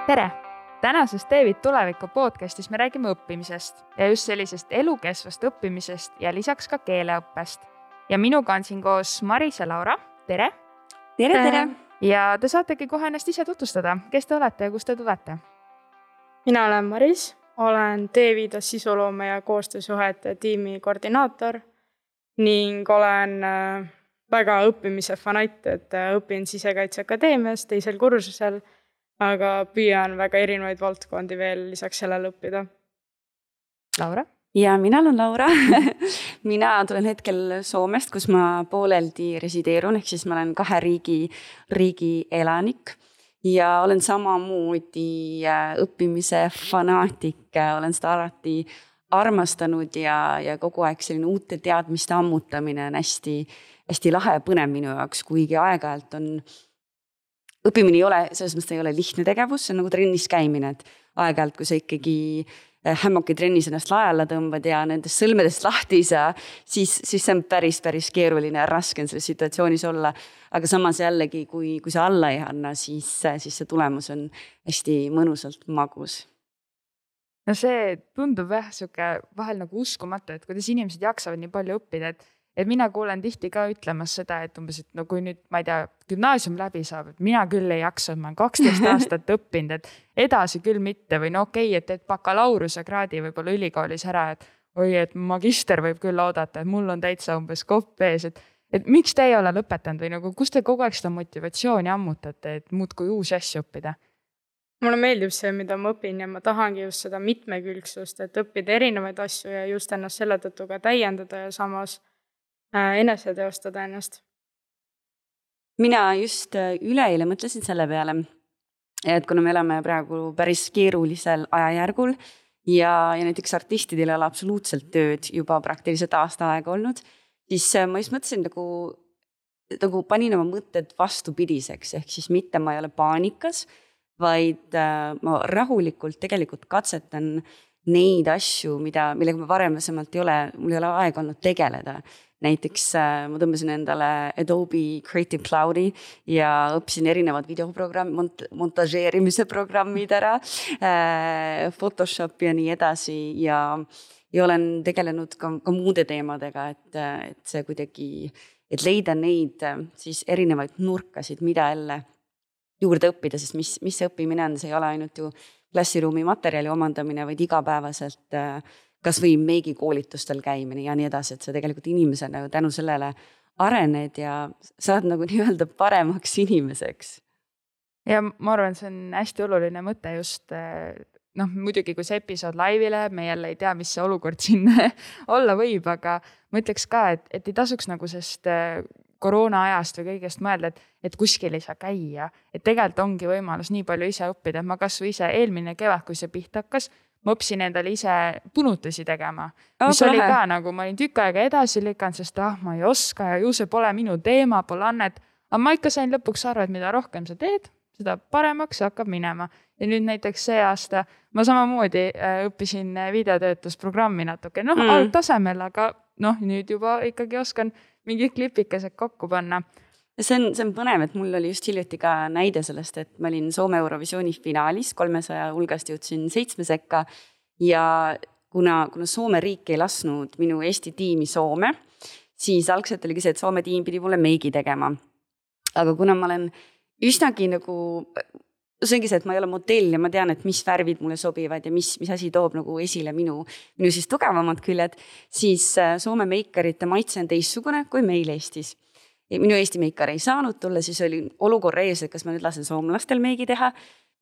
Tere! Tänases Teevid tuleviku podcastis me räägime õppimisest ja just sellisest elukesvast õppimisest ja lisaks ka keeleõppest. Ja minuga on siin koos Maris ja Laura. Tere! Tere! Ja te saategi kohe ennast ise tutvustada. Kes te olete ja kust te tulete? Mina olen Maris, olen Teevidas sisuloome ja koostöösuhete tiimi koordinaator ning olen väga õppimise fanatt, et õpin Sisekaitseakadeemias teisel kursusel, aga püüan väga erinevaid valdkondi veel lisaks sellele õppida. Laura? Ja mina olen Laura. Mina tulen hetkel Soomest, kus ma pooleldi resideerun, ehk siis ma olen 2 riigi elanik ja olen samamoodi õppimise fanaatik, olen seda alati armastanud ja kogu aeg selline uute teadmiste ammutamine on hästi lahe ja põnev minu jaoks, kuigi aeg-ajalt on õppimine ei ole, selles mõttes ei ole lihtne tegevus, see on nagu trennis käimine, et aeg-ajalt, kui sa ikkagi hämmoki trennis ennast lae alla tõmbad ja nendest sõlmedest lahti ei saa, siis see on päris keeruline ja raske on selles situatsioonis olla. Aga samas jällegi, kui sa alla ei anna, siis see tulemus on hästi mõnusalt magus. No see tundub vahel nagu uskumatu, et kuidas inimesed jaksavad nii palju õppida, et mina kuulen tihti ka ütlemas seda, et umbes, et no kui nüüd, ma ei tea, gümnaasium läbi saab, et mina küll ei jaksa, ma olen 12 aastat õppinud, et edasi küll mitte või no okei, et bakalaureuse kraadi võib-olla ülikoolis ära, et oi, et magister võib küll oodata, et mul on täitsa umbes kopp ees, et miks te ei ole lõpetanud või nagu, kus te kogu aeg seda motivatsiooni ammutate, et muudkui uusi asju õppida? Mulle meeldib see, mida ma õpin ja ma tahangi just seda mitmekülgsust, et õppida erinevaid asju ja just ennast selle tõttu ka täiendada ja samas enese teostada ennast. Mina just üleeile mõtlesin selle peale, et kuna me elame praegu päris keerulisel ajajärgul ja näiteks artistidel ei ole absoluutselt tööd juba praktiliselt aasta aega olnud, siis ma just mõtlesin nagu panin oma mõtted vastupidiseks, ehk siis mitte ma ei ole paanikas, vaid ma rahulikult tegelikult katsetan neid asju, millega ma varemasemalt mul ei ole aega olnud tegeleda. Näiteks ma tõmbasin endale Adobe Creative Cloudi ja õppisin erinevad montažeerimise programmid ära, Photoshop ja nii edasi ja olen tegelenud ka muude teemadega, et see kuidagi, et leida neid siis erinevaid nurkasid, mida jälle juurde õppida, sest mis see õppimine on, see ei ole ainult ju klassiruumi materjali omandamine, vaid igapäevaselt kas või meigikoolitustel käimine ja nii edasi, et sa tegelikult inimesena tänu sellele arened ja saad nagu nii-öelda paremaks inimeseks. Ja ma arvan, see on hästi oluline mõte just, muidugi kui see episood laivile, me jälle ei tea, mis see olukord siin olla võib, aga ma ütleks ka, et ei tasuks nagu sest koroona ajast või kõigest mõelda, et kuskil ei saa käia, et tegelikult ongi võimalus nii palju ise õppida, et ma kas või ise eelmine kevad, kui see pihta hakkas, ma õppisin endale ise punutusi tegema, mis oli ka nagu, ma olin tükk aega edasi lükanud, sest ma ei oska ja ju see pole minu teema, pole annet, aga ma ikka sain lõpuks aru, et mida rohkem sa teed, seda paremaks hakkab minema. Ja nüüd näiteks see aasta ma samamoodi õppisin videotöötlusprogrammi natuke, algtasemel, aga nüüd juba ikkagi oskan mingid klipikesed kokku panna. See on põnev, et mul oli just hiljuti ka näide sellest, et ma olin Soome Eurovisiooni finaalis, 300 hulgast jõudsin 7 sekka ja kuna Soome riik ei lasnud minu Eesti tiimi Soome, siis algselt oligi see, et Soome tiim pidi mulle meigi tegema. Aga kuna ma olen üsnagi nagu, see ongi see, et ma ei ole modell ja ma tean, et mis värvid mulle sobivad ja mis asi toob nagu esile minu siis tugevamad küljed, siis Soome meikarite maitse on teistsugune kui meil Eestis. Minu Eesti meikar ei saanud tulla, siis oli olukorra ees, et kas ma nüüd lasen soomlastel meigi teha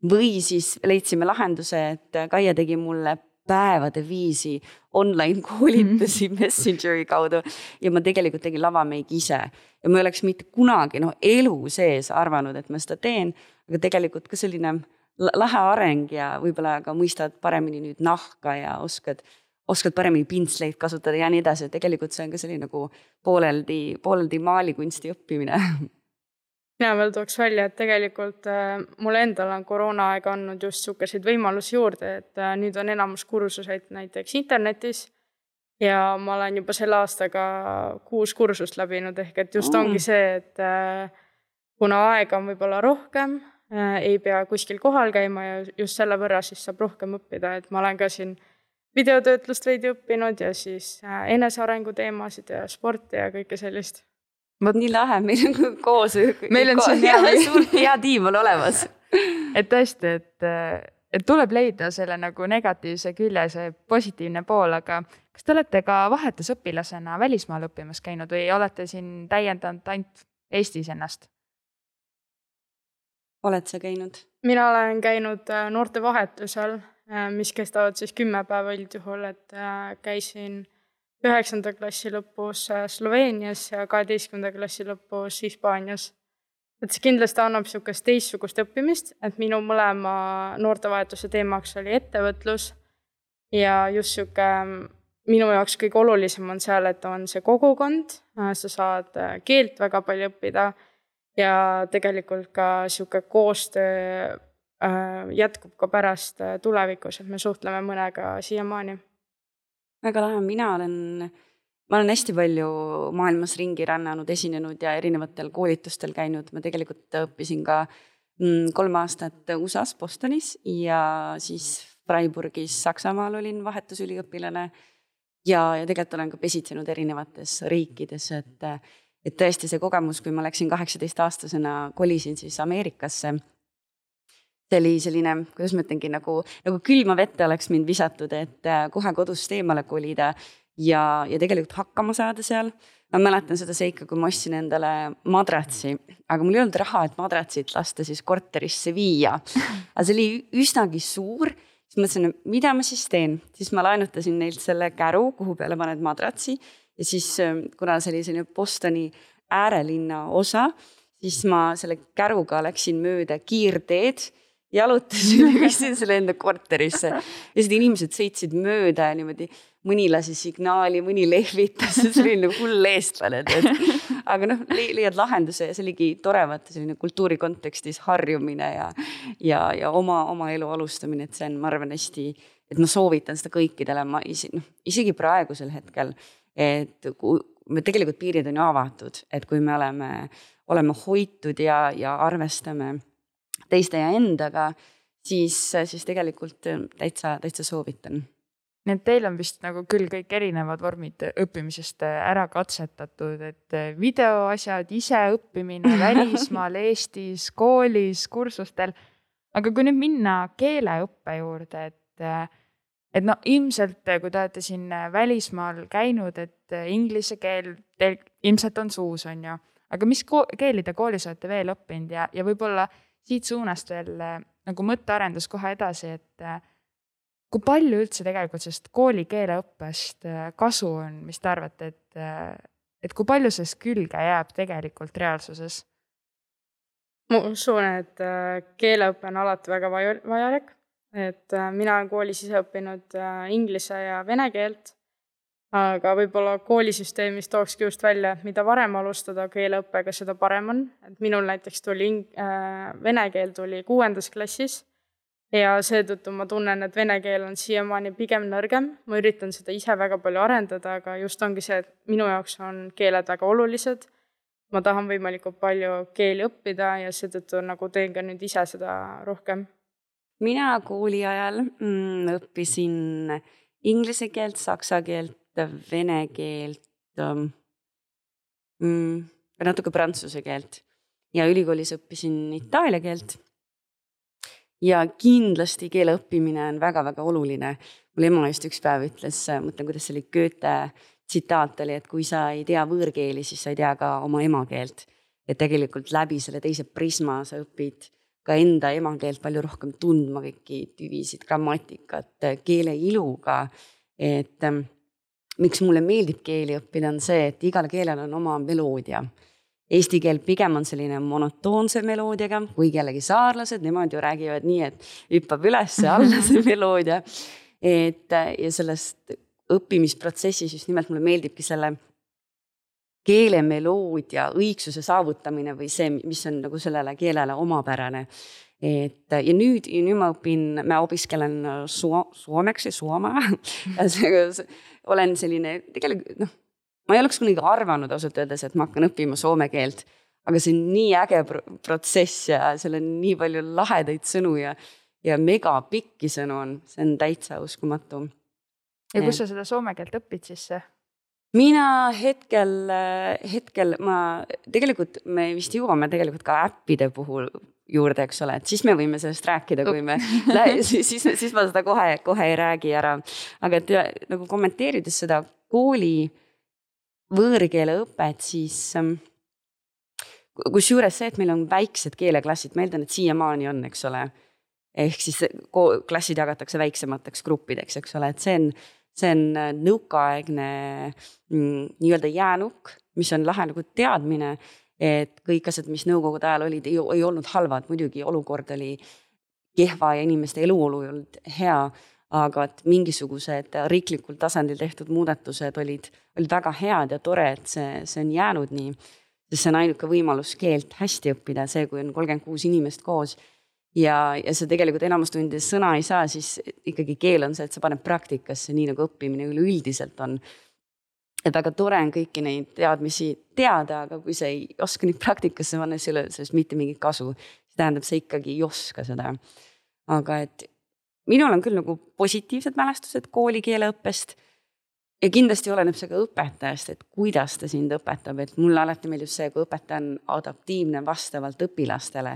või siis leidsime lahenduse, et Kaia tegi mulle päevade viisi online koolitusi Messengeri kaudu ja ma tegelikult tegin lavameigi ise ja ma ei oleks mitte kunagi elu sees arvanud, et ma seda teen, aga tegelikult ka selline lahe areng ja võib-olla ka mõistad paremini nüüd nahka ja oskad paremini pintsleid kasutada ja nii edasi. Tegelikult see on ka selline nagu pooleldi maalikunsti õppimine. Ja veel tooks välja, et tegelikult mulle endal on koroona aega andnud just sukesid võimalusi juurde, et nüüd on enamus kursuseid näiteks internetis ja ma olen juba selle aastaga 6 kursust läbinud, ehk et just ongi see, et kuna aega on võib-olla rohkem, ei pea kuskil kohal käima ja just selle võrra siis saab rohkem õppida, et ma olen ka siin videotöötlust veidi õppinud ja siis enesearengu teemasid ja sporti ja kõike sellist. Nii lahe, meil on koos. Meil on siin hea tiim on olemas. Et tõesti, et tuleb leida selle nagu negatiivse külje, see positiivne pool, aga kas te olete ka vahetusõpilasena välismaal õppimas käinud või olete siin täiendanud ainult Eestis ennast? Oled sa käinud? Mina olen käinud noortevahetusel, mis kestavad siis 10 päeva üldjuhul, et käisin 9. klassi lõpus Sloveenias ja 12. klassi lõpus Hispaanias. Et see kindlasti annab niisugust teistsugust õppimist, et minu mõlema noortevahetuse teemaks oli ettevõtlus ja just niisugune minu jaoks kõige olulisem on seal, et on see kogukond, sa saad keelt väga palju õppida ja tegelikult ka niisugune koostöö jätkub ka pärast tulevikus, et me suhtleme mõnega siiamaani. Väga lahe, ma olen hästi palju maailmas ringi rännanud, esinenud ja erinevatel koolitustel käinud. Ma tegelikult õppisin ka 3 aastat USAs Bostonis ja siis Freiburgis Saksamaal olin vahetusüliõpilane ja tegelikult olen ka pesitsenud erinevates riikides, et tõesti see kogemus, kui ma läksin 18-aastasena, kolisin siis Ameerikasse. See oli selline, kuidas ma ütlengi, nagu külma vette oleks mind visatud, et kohe kodust eemale kolida ja tegelikult hakkama saada seal. Ma mäletan seda seika, kui ma ostsin endale madratsi, aga mul ei olnud raha, et madratsit lasta siis korterisse viia. Aga see oli üsnagi suur, siis mõtlesin, mida ma siis teen. Siis ma laenutasin neilt selle käru, kuhu peale paned madratsi ja siis, kuna see oli selline Bostoni äärelinna osa, siis ma selle käruga läksin mööda kiirteed, jalutasin ja viisin selle enda korterisse. Ja seda inimesed sõitsid mööda ja niimoodi mõni lasi signaali, mõni lehvitas, see oli nagu hull eestlane. Aga leiad lahenduse ja see oligi tore vaata selline kultuuri kontekstis harjumine ja oma elu alustamine, et see on, ma arvan, hästi, et ma soovitan seda kõikidele, isegi praegusel hetkel, et me tegelikult piirid on ju avatud, et kui me oleme hoitud ja arvestame teiste ja endaga, siis tegelikult täitsa soovitan. Nii et teil on vist nagu küll kõik erinevad vormid õppimisest ära katsetatud, et videoasjad, ise õppimine välismaal, Eestis, koolis, kursustel. Aga kui nüüd minna keeleõppe juurde, et ilmselt kui te olete siin välismaal käinud, et inglise keel teil ilmselt on suus, on ju. Aga mis keeli te koolis olete veel õppinud ja võib-olla siit suunast veel nagu mõttearendus kohe edasi, et kui palju üldse tegelikult sellest kooli keeleõppest kasu on, mis te arvate, et kui palju sellest külge jääb tegelikult reaalsuses? Ma usun, et keeleõppe on alati väga vajalik, et mina olen koolis ise õppinud inglise ja vene keelt, aga võib-olla koolisüsteemis tookski just välja, et mida varem alustada keeleõppega, seda parem on. Et minul näiteks tuli vene keel tuli 6. klassis ja seetõttu ma tunnen, et vene keel on siiamaani pigem nõrgem. Ma üritan seda ise väga palju arendada, aga just ongi see, et minu jaoks on keeled väga olulised. Ma tahan võimalikult palju keeli õppida ja seetõttu nagu teen ka nüüd ise seda rohkem. Mina kooli ajal õppisin inglise keelt, saksa keelt, vene keelt, natuke prantsuse keelt ja ülikoolis õppisin itaalia keelt. Ja kindlasti keele õppimine on väga-väga oluline. Mul ema just üks päev ütles, mõtlen, kuidas see oli Goethe tsitaat oli, et kui sa ei tea võõrkeeli, siis sa ei tea ka oma emakeelt. Et tegelikult läbi selle teise prisma sa õpid ka enda emakeelt palju rohkem tundma kõiki tüvisid, grammatikat, keele iluga. Et miks mulle meeldib keeli õppida on see, et igal keelel on oma meloodia. Eesti keel pigem on selline monotoonse meloodiaga, kui kellegi saarlased, nemad ju räägivad nii, et hüppab üles alla see meloodia. Ja sellest õppimisprotsessis just nimelt mulle meeldibki selle keele meloodia õigsuse saavutamine või see, mis on nagu sellele keelele omapärane. Ja nüüd ma opiskelen suomeksi, suoma. Olen selline, tegelikult, ma ei oleks kunagi arvanud ausalt öeldes, et ma hakkan õppima soome keelt, aga see on nii äge protsess ja seal on nii palju lahedaid sõnu ja mega pikki sõnu on, see on täitsa uskumatu. Ja kus sa seda soome keelt õpid siis? Mina hetkel tegelikult me vist jõuame tegelikult ka äppide puhul juurde, eks ole, et siis me võime sellest rääkida, kui me siis ma seda kohe ei räägi ära. Aga et nagu kommenteerides seda kooli võõrkeele õpet, siis kus juures see, et meil on väiksed keeleklassid, ma eeldan, et siiamaani on, eks ole, ehk siis klassid jagatakse väiksemateks gruppideks, eks ole, et see on nõukaaegne nii-öelda jäänuk, mis on lahe nagu teadmine, et kõik asjad, mis nõukogude ajal olid, ei olnud halvad, muidugi olukord oli kehva ja inimeste eluolu ei olnud hea, aga et mingisugused riiklikul tasandil tehtud muudatused olid väga head ja tore, et see on jäänud nii, sest see on ainuke võimalus keelt hästi õppida, see, kui on 36 inimest koos ja see tegelikult enamustundides sõna ei saa, siis ikkagi keel on see, et sa paned praktikasse, nii nagu õppimine üleüldiselt on. Et väga tore on kõiki neid teadmisi teada, aga kui sa ei oska neid praktikasse panna, siis ei ole sellest mitte mingit kasu. See tähendab, sa ikkagi ei oska seda. Aga et minul on küll nagu positiivsed mälestused koolikeeleõppest ja kindlasti oleneb see ka õpetajast, et kuidas ta sind õpetab. Et mulle alati meeldib see, kui õpetaja on adaptiivne vastavalt õpilastele.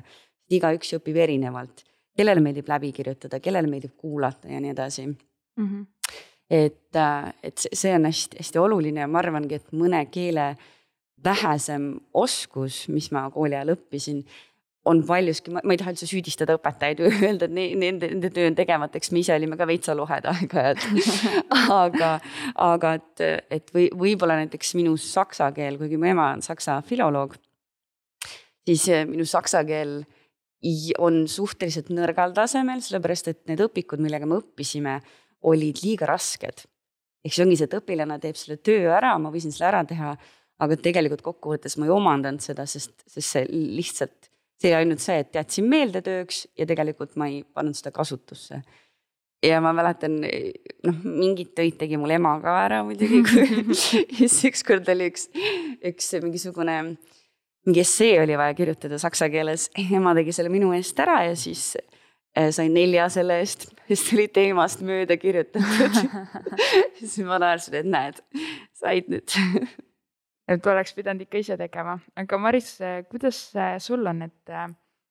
Igaüks õpib erinevalt. Kellele meeldib läbi kirjutada, kellele meeldib kuulata ja nii edasi. Mm-hmm. Et see on hästi oluline ja ma arvangi, et mõne keele vähesem oskus, mis ma kooli ajal õppisin, on paljuski, ma ei taha üldse süüdistada õpetajaid või öelda, et nende töö on tegemateks, me ise olime ka veitsa lohed aega, aga et võib-olla näiteks minu saksa keel, kuigi mu ema on saksa filoloog, siis minu saksa keel on suhteliselt nõrgal tasemel, sellepärast et need õpikud, millega me õppisime, olid liiga rasked. Ehk see ongi see, et õpilane teeb selle töö ära, ma võisin selle ära teha, aga tegelikult kokkuvõttes ma ei omandanud seda, sest see lihtsalt, see ainult see, et teadsin meelde tööks ja tegelikult ma ei pannud seda kasutusse. Ja ma mäletan, mingid töid tegi mul ema ka ära muidugi, siis ükskord oli üks mingi essee oli vaja kirjutada saksa keeles, ema tegi selle minu eest ära ja siis sain 4 selle eest, sest oli teemast mööda kirjutatud. Siis ma naersin, et näed, said nüüd. Et oleks pidanud ikka ise tegema. Aga Maris, kuidas sul on, et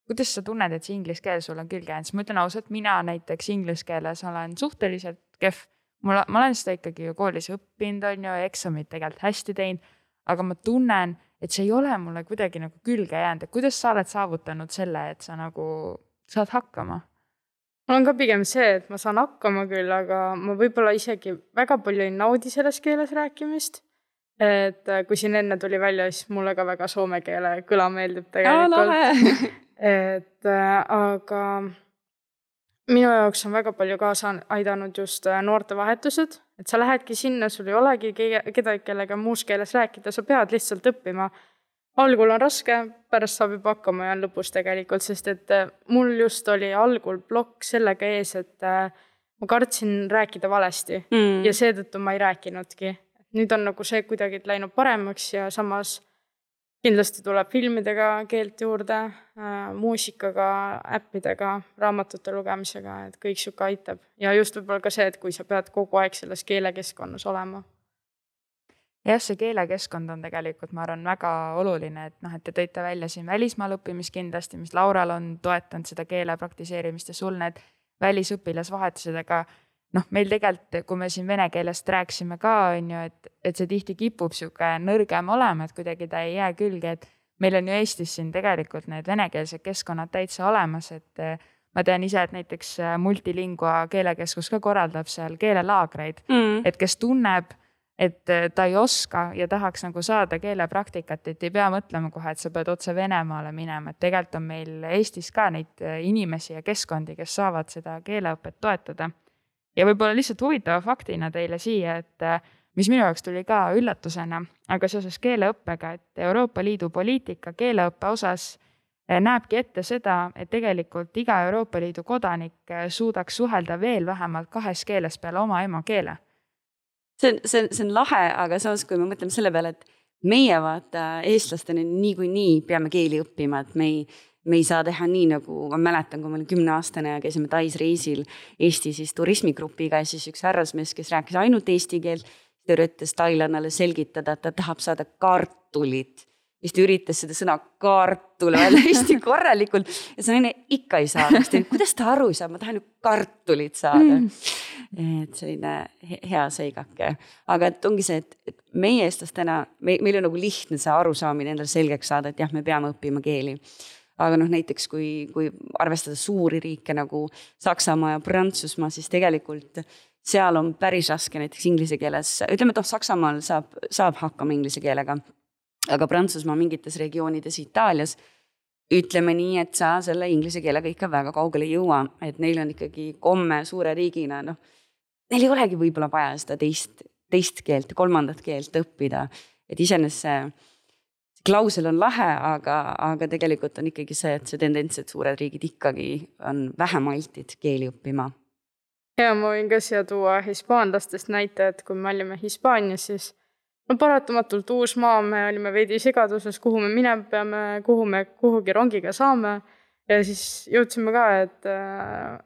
kuidas sa tunned, et see inglise keel sul on külge jäänud? Ma ütlen ausalt, mina näiteks inglise keeles olen suhteliselt kehv. Ma olen seda ikkagi ju koolis õppinud, on ju, eksamid tegelikult hästi teinud, aga ma tunnen, et see ei ole mulle kuidagi nagu külge jäänud. Et kuidas sa oled saavutanud selle, et sa nagu saad hakkama? Mul on ka pigem see, et ma saan hakkama küll, aga ma võib-olla isegi väga palju ei naudi selles keeles rääkimist. Et kui siin enne tuli välja, siis mulle ka väga soome keele kõla meeldib tegelikult. Aga minu jaoks on väga palju kaasa aidanud just noortevahetused. Et sa lähedki sinna, sul ei olegi kedagi, kellega muus keeles rääkida, sa pead lihtsalt õppima. Algul on raske, pärast saab juba hakkama ja on lõpus tegelikult, sest et mul just oli algul blokk sellega ees, et ma kartsin rääkida valesti ja seetõttu ma ei rääkinudki. Nüüd on nagu see kuidagi läinud paremaks ja samas kindlasti tuleb filmidega keelt juurde, muusikaga, äppidega, raamatute lugemisega, et kõik siuke aitab. Ja just võib-olla ka see, et kui sa pead kogu aeg selles keelekeskkonnas olema. Jah, see keelekeskkond on tegelikult, ma arvan, väga oluline, et te tõite välja siin välismaal õppimist kindlasti, mis Laural on toetanud seda keele praktiseerimist ja sul need välisõpilasvahetused, aga meil tegelikult, kui me siin vene keelest rääksime ka, on ju, et see tihti kipub siuke nõrgem olema, et kuidagi ta ei jää külge, et meil on ju Eestis siin tegelikult need venekeelsed keskkonnad täitsa olemas, et ma tean ise, et näiteks Multilingua keelekeskus ka korraldab seal keelelaagreid, et kes tunneb, et ta ei oska ja tahaks nagu saada keelepraktikat, et ei pea mõtlema kohe, et sa pead otse Venemaale minema, et tegelikult on meil Eestis ka neid inimesi ja keskkondi, kes saavad seda keeleõpet toetada. Ja võib-olla lihtsalt huvitava faktina teile siia, et mis minu jaoks tuli ka üllatusena, aga seoses keeleõppega, et Euroopa Liidu poliitika keeleõppe osas näebki ette seda, et tegelikult iga Euroopa Liidu kodanik suudaks suhelda veel vähemalt 2 keeles peale oma emakeele. See on lahe, aga samas, kui me mõtleme selle peale, et meie vaata eestlastena niikuinii peame keeli õppima, et me ei saa teha nii, nagu ma mäletan, kui ma olin 10-aastane ja käisime Tais reisil Eesti siis turismigrupiga ja siis üks härrasmees, kes rääkis ainult eesti keelt, ta üritas tailannale selgitada, et ta tahab saada kartulit. Siis ta üritas seda sõna kartul välja hästi korralikult ja see naine ikka ei saa. Kuidas ta aru ei saa? Ma tahan ju kartulit saada. Et selline hea seigake. Aga et ongi see, et meie eestlastena, meil on nagu lihtne see arusaamine endale selgeks saada, et jah, me peame õppima keeli. Aga näiteks kui arvestada suuri riike nagu Saksamaa ja Prantsusmaa, siis tegelikult seal on päris raske näiteks inglise keeles. Ütleme, et Saksamaal saab hakkama inglise keelega, aga Prantsusmaa mingites regioonides Itaalias ütleme nii, et sa selle inglise keelega ikka väga kaugele jõua, et neil on ikkagi komme suure riigina, neil ei olegi võib-olla vaja seda teist keelt, kolmandat keelt õppida, et iseenesest see klausel on lahe, aga tegelikult on ikkagi see, et see tendents, et suured riigid ikkagi on vähem altid keeli õppima. Ja ma võin ka siia tuua hispaanlastest näite, et kui me olime Hispaanias, siis paratamatult uus maa, me olime veidi segaduses, kuhu me minema peame, kuhu me kuhugi rongiga saame. Ja siis jõudsime ka, et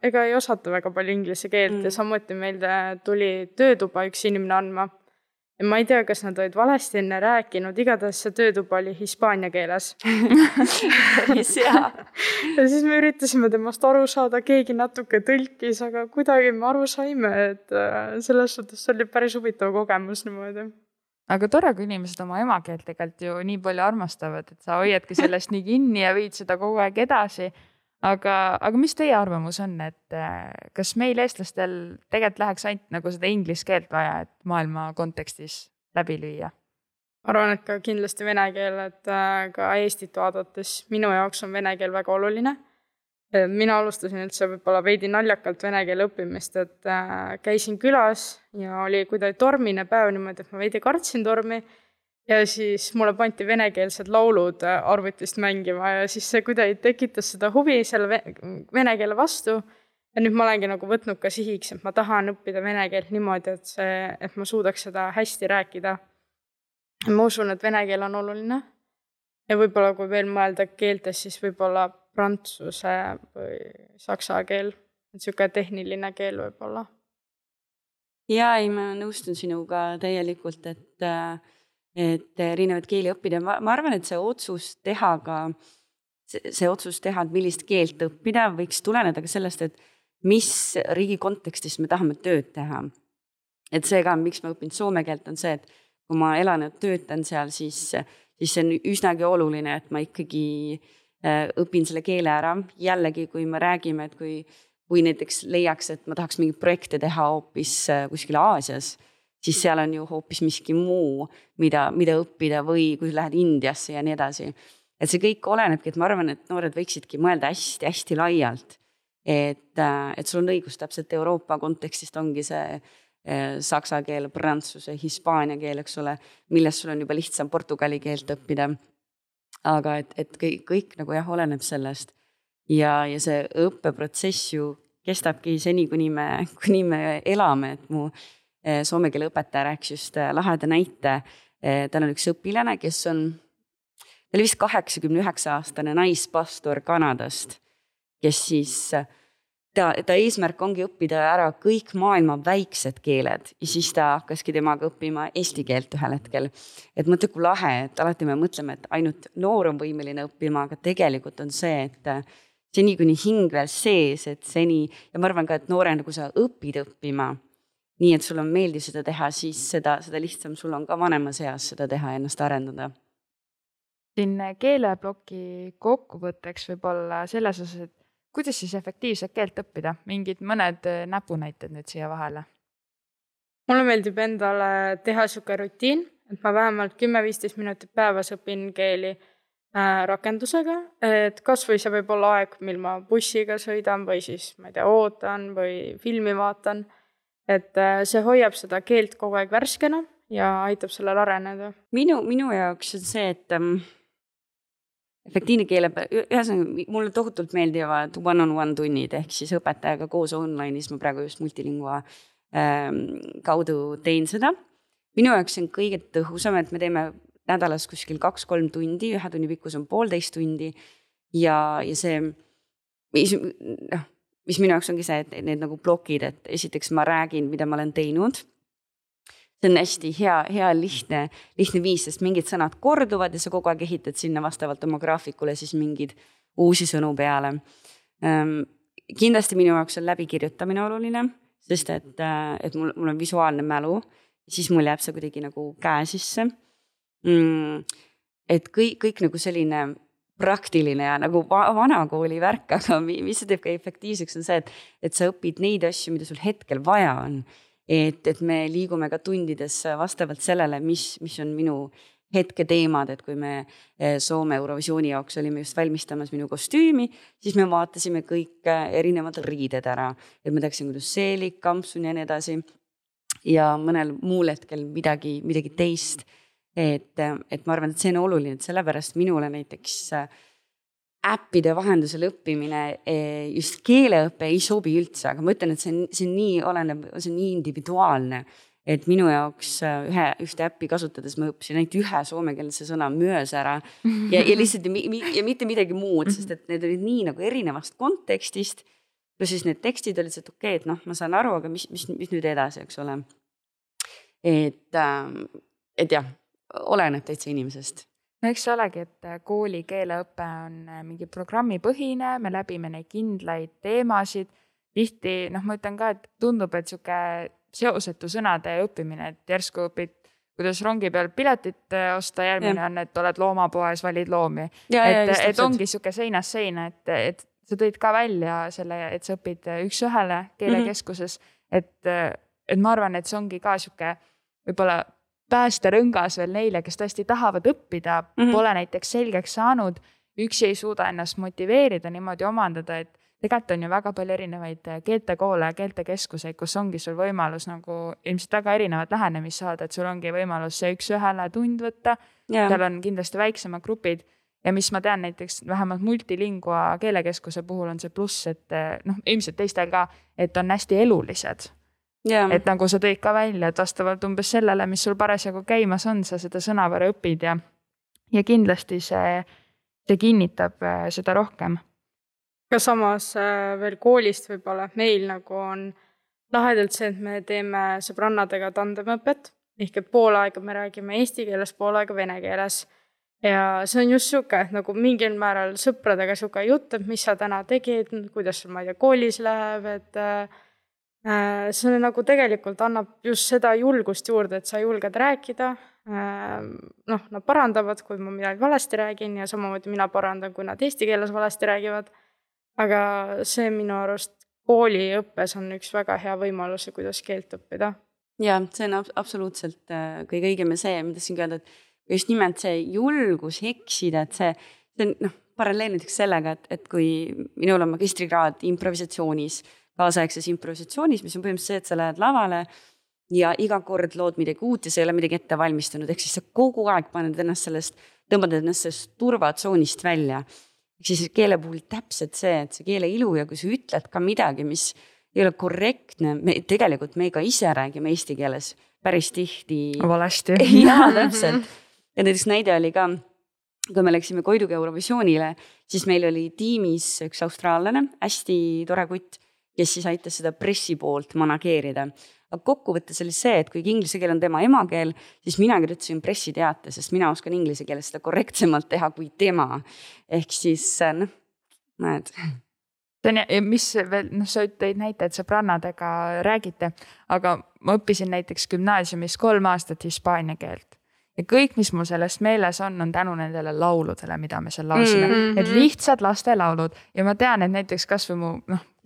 ega ei osata väga palju inglise keelt ja samuti meilde tuli töötuba üks inimene andma. Ja ma ei tea, kas nad olid valesti enne rääkinud, igatahes see töötuba oli hispaania keeles. Ja siis me üritasime temast aru saada, keegi natuke tõlkis, aga kuidagi me aru saime, et selles suhtes oli päris huvitav kogemus niimoodi. Aga tore, kui inimesed oma emakeelt tegelikult ju nii palju armastavad, et sa hoiadki sellest nii kinni ja viid seda kogu aeg edasi. Aga mis teie arvamus on, et kas meil eestlastel tegelikult läheks ainult nagu seda inglise keelt vaja, et maailma kontekstis läbi lüüa? Arvan, et ka kindlasti vene keel, et ka Eestit vaadates minu jaoks on vene keel väga oluline. Mina alustasin üldse võib-olla veidi naljakalt vene keele õppimist, et käisin külas ja oli kuidagi tormine päev niimoodi, et ma veidi kartsin tormi ja siis mulle pandi venekeelsed laulud arvutist mängima ja siis see kuidagi tekitas seda huvi selle vene keele vastu ja nüüd ma olengi nagu võtnud ka sihiks, et ma tahan õppida vene keelt niimoodi, et ma suudaks seda hästi rääkida. Ma usun, et vene keel on oluline ja võib-olla kui veel mõelda keeltes, siis võib-olla prantsuse või saksa keel, et siuke tehniline keel võib-olla. Ja ei, ma nõustun sinuga täielikult, et erinevad keeli õppida. Ma arvan, et see otsus teha, et millist keelt õppida, võiks tuleneda ka sellest, et mis riigi kontekstis me tahame tööd teha. Et see ka, miks ma õpin soome keelt, on see, et kui ma elan ja töötan seal, siis see on üsnagi oluline, et ma ikkagi õpin selle keele ära. Jällegi, kui me räägime, et kui näiteks leiaks, et ma tahaks mingit projekte teha hoopis kuskil Aasias, siis seal on ju hoopis miski muu, mida õppida või kui lähed Indiasse ja nii edasi. Et see kõik olenebki, et ma arvan, et noored võiksidki mõelda hästi laialt. Et sul on õigus täpselt Euroopa kontekstist ongi see saksa keel, prantsuse, hispaania keel, eks ole, millest sul on juba lihtsam portugali keelt õppida. Aga et kõik nagu jah, oleneb sellest. Ja see õppeprotsess ju kestabki seni, kuni me elame, et mu soome keele õpetaja rääkis just laheda näite. Tal on üks õpilane, kes ta oli vist 89-aastane naispastor Kanadast, kes siis, ta eesmärk ongi õppida ära kõik maailma väiksed keeled ja siis ta hakkaski temaga õppima eesti keelt ühel hetkel. Et mõtle, kui lahe, et alati me mõtleme, et ainult noor on võimeline õppima, aga tegelikult on see, et seni kuni hing veel sees, et seni, ja ma arvan ka, et noorena, kui sa õpid õppima, nii et sul on meeldiv seda teha, siis seda lihtsam sul on ka vanemas eas seda teha ja ennast arendada. Siin keeleploki kokkuvõtteks võib-olla selles osas, et kuidas siis efektiivselt keelt õppida? Mingid mõned näpunäited nüüd siia vahele? Mulle meeldib endale teha siuke rutiin, et ma vähemalt 10-15 minutit päevas õpin keeli rakendusega, et kas või see võib olla aeg, mil ma bussiga sõidan või siis, ma ei tea, ootan või filmi vaatan. Et see hoiab seda keelt kogu aeg värskena ja aitab sellel areneda. Minu jaoks on see, et efektiivne keele, ühesõnaga mulle tohutult meeldivad one-on-one tunnid, ehk siis õpetajaga koos online'is, ma praegu just multilingua kaudu teen seda. Minu jaoks on kõige tõhusam, et me teeme nädalas kuskil 2-3 tundi, 1 tunni pikkus on 1,5 tundi ja see, mis minu jaoks ongi see, et need nagu plokid, et esiteks ma räägin, mida ma olen teinud. See on hästi hea lihtne viis, sest mingid sõnad korduvad ja sa kogu aeg ehitad sinna vastavalt oma graafikule siis mingid uusi sõnu peale. Kindlasti minu jaoks on läbikirjutamine oluline, sest et mul on visuaalne mälu, siis mul jääb see kuidagi nagu käe sisse. Et kõik nagu selline praktiline ja nagu vanakooli värk, aga mis see teeb ka efektiivseks on see, et sa õpid neid asju, mida sul hetkel vaja on. Et me liigume ka tundides vastavalt sellele, mis on minu hetke teemad, et kui me Soome Eurovisiooni jaoks olime just valmistamas minu kostüümi, siis me vaatasime kõik erinevad riided ära, et ma teaksin, kuidas seelik, kampsun ja nii edasi. Ja mõnel muul hetkel midagi teist. Et ma arvan, et see on oluline, et sellepärast minule näiteks äppide vahendusel õppimine, just keeleõppe ei sobi üldse, aga ma ütlen, et see on nii individuaalne, et minu jaoks ühte äppi kasutades ma õppisin ainult ühe soomekeelse sõna möös ära ja lihtsalt ja mitte midagi muud, sest et need olid nii nagu erinevast kontekstist, ja siis need tekstid olid see, et okei, et ma saan aru, aga mis nüüd edasi, eks ole. Et jah, oleneb täitsa inimesest. No eks see olegi, et kooli keeleõpe on mingi programmipõhine, me läbime neid kindlaid teemasid. Tihti, ma ütlen ka, et tundub, et siuke seosetu sõnade õppimine, et järsku õpid, kuidas rongi peal piletit osta, järgmine on, et oled loomapoes, valid loomi. Et ongi siuke seinast seina, et sa tõid ka välja selle, et sa õpid üks-ühele keelekeskuses, et ma arvan, et see ongi ka siuke võib-olla päästerõngas veel neile, kes tõesti tahavad õppida, pole näiteks selgeks saanud, üksi ei suuda ennast motiveerida, niimoodi omandada, et tegelikult on ju väga palju erinevaid keeltekoole ja keeltekeskuseid, kus ongi sul võimalus nagu ilmselt väga erinevad lähenemist saada, et sul ongi võimalus see üks-ühele tund võtta, seal on kindlasti väiksemad grupid ja mis ma tean näiteks vähemalt multilingua keelekeskuse puhul on see pluss, et ilmselt teistel ka, et on hästi elulised. Et nagu sa tõid ka välja, et vastavalt umbes sellele, mis sul parasjagu käimas on, sa seda sõnavara õpid ja kindlasti see kinnitab seda rohkem. Ka samas veel koolist võib-olla, meil nagu on lahedalt see, et me teeme sõbrannadega tandemõpet, ehk et pool aega me räägime eesti keeles, pool aega vene keeles. Ja see on just siuke, nagu mingil määral sõpradega siuke jutt, et mis sa täna tegid, kuidas sul, ma ei tea, koolis läheb, et see nagu tegelikult annab just seda julgust juurde, et sa julged rääkida. Nad parandavad, kui ma midagi valesti räägin ja samamoodi mina parandan, kui nad eesti keeles valesti räägivad. Aga see minu arust kooliõppes on üks väga hea võimalus, kuidas keelt õppida. Ja, see on absoluutselt kõige õigem see, mida siin öelda, et just nimelt see julgus eksida, et see on paralleel näiteks sellega, et kui minul on magistrikraad improvisatsioonis, kaasaegses improvisatsioonis, mis on põhimõtteliselt see, et sa lähed lavale ja iga kord lood midagi uut ja sa ei ole midagi ette valmistanud, ehk siis sa kogu aeg tõmbad ennast sellest turvatsoonist välja. Siis keele puhul täpselt see, et see keele ilu ja kui sa ütled ka midagi, mis ei ole korrektne, tegelikult me ka ise räägime eesti keeles päris tihti. Valasti. Jaa, täpselt. Ja näiteks näide oli ka, kui me läksime Koiduga Eurovisioonile, siis meil oli tiimis üks austraallane, hästi tore kutt, kes siis aitas seda pressi poolt manageerida. Aga kokkuvõttes oli see, et kui inglise keel on tema emakeel, siis mina kirjutasin pressiteate, sest mina oskan inglise keeles seda korrektsemalt teha kui tema. Ehk siis, näed. Mis veel, sa tõid näite, et sõbrannadega räägite, aga ma õppisin näiteks gümnaasiumis 3 aastat hispaania keelt. Ja kõik, mis mul sellest meeles on tänu nendele lauludele, mida me seal laulsime. Et lihtsad laste laulud. Ja ma tean, et näiteks kas või mu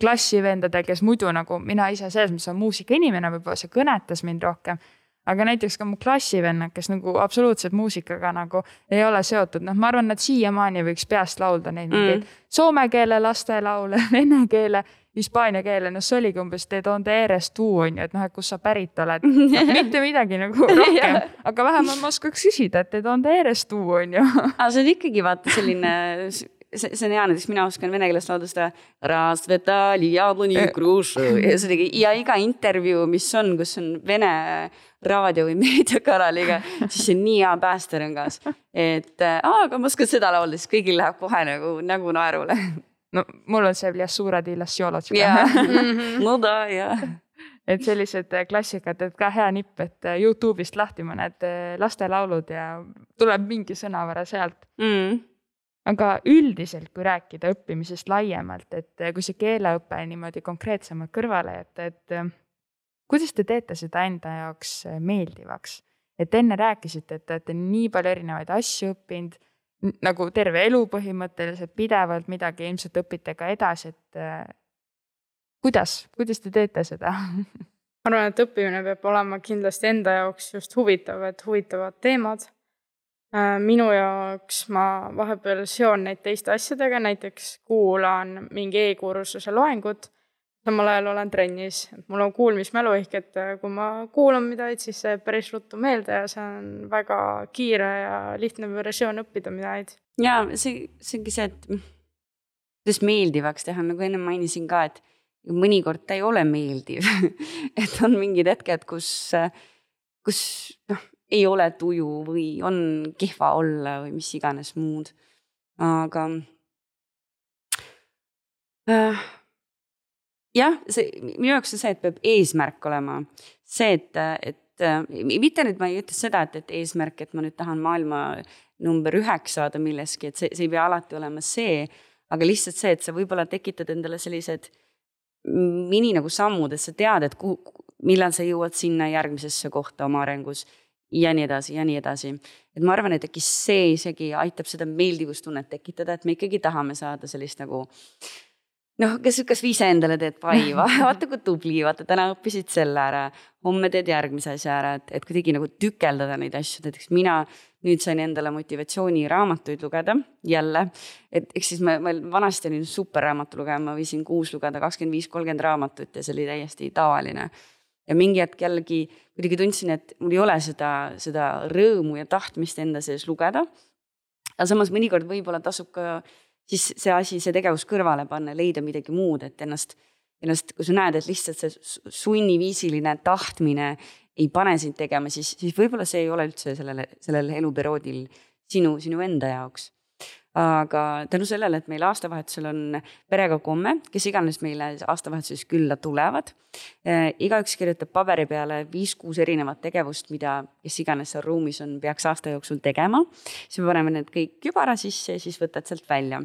klassivendade, kes muidu nagu mina ise selles, mis on muusika inimene, võib-olla see kõnetas mind rohkem. Aga näiteks ka mu klassivennad, kes nagu absoluutselt muusikaga nagu ei ole seotud. Ma arvan, et siiamaani võiks peast laulda neid mingeid soome keele laste laule, vene keele, hispaania keele. See oligi umbes te donde eres tu, on ju, et kus sa pärit oled. Mitte midagi nagu rohkem, aga vähemalt ma oskaks küsida, et te donde eres tu, on ju. See on ikkagi vaata selline see on hea, näiteks mina oskan vene keeles laulda seda Rasvetali jabloni krušu ja iga intervjuu, mis on, kus on vene raadio või meediakanaliga, siis see on nii hea päästerõngas, et aga ma oskan seda laulda, siis kõigil läheb kohe nagu naerule. No mul on see Vljassurad ilas Jolotška. No da, jah. Et sellised klassikad, et ka hea nipp, et YouTube'ist lahti mõned lastelaulud ja tuleb mingi sõnavara sealt. Aga üldiselt, kui rääkida õppimisest laiemalt, et kui see keeleõpe niimoodi konkreetsemalt kõrvale jätta, et kuidas te teete seda enda jaoks meeldivaks? Et enne rääkisite, et olete nii palju erinevaid asju õppinud, nagu terve elu põhimõtteliselt pidevalt midagi ilmselt õpite ka edasi, et kuidas te teete seda? Ma arvan, et õppimine peab olema kindlasti enda jaoks just huvitav, et huvitavad teemad. Minu jaoks ma vahepeal seon neid teiste asjadega, näiteks kuulan mingi e-kursuse loengut, samal ajal olen trennis. Mul on kuulmismälu ehk, et kui ma kuulan midagi, siis see päris ruttu meelde ja see on väga kiire ja lihtne versioon õppida midagi. Ja see ongi see, et kuidas meeldivaks teha, nagu enne mainisin ka, et mõnikord ta ei ole meeldiv. Et on mingid hetked, kus ei ole tuju või on kehva olla või mis iganes muud. Aga jah, minu jaoks on see, et peab eesmärk olema. See, et mitte nüüd ma ei ütle seda, et eesmärk, et ma nüüd tahan maailma number 9 saada milleski, et see ei pea alati olema see, aga lihtsalt see, et sa võib-olla tekitad endale sellised mini nagu sammud, et sa tead, et millal sa jõuad sinna järgmisesse kohta oma arengus ja nii edasi ja nii edasi. Et ma arvan, et äkki see isegi aitab seda meeldivustunnet tekitada, et me ikkagi tahame saada sellist nagu kas viise endale teed pai, vaata kui tubli, vaata täna õppisid selle ära, homme teed järgmise asja ära, et kuidagi nagu tükeldada neid asju, näiteks mina nüüd sain endale motivatsiooniraamatuid lugeda jälle, et eks siis ma vanasti olin super raamatu lugema, ma võisin 6 lugeda 25-30 raamatut ja see oli täiesti tavaline. Ja mingi hetk jällegi kuidagi tundsin, et mul ei ole seda rõõmu ja tahtmist enda sees lugeda, aga samas mõnikord võib-olla tasub ka siis see tegevus kõrvale panna, leida midagi muud, et ennast, kui sa näed, et lihtsalt see sunniviisiline tahtmine ei pane sind tegema, siis võib-olla see ei ole üldse sellel eluperioodil sinu enda jaoks. Aga tänu sellele, et meil aastavahetusel on perega komme, kes iganes meile aastavahetuses külla tulevad, igaüks kirjutab paberi peale 5-6 erinevat tegevust, mida kes iganes seal ruumis on, peaks aasta jooksul tegema. Siis me paneme need kõik kübara sisse ja siis võtad sealt välja.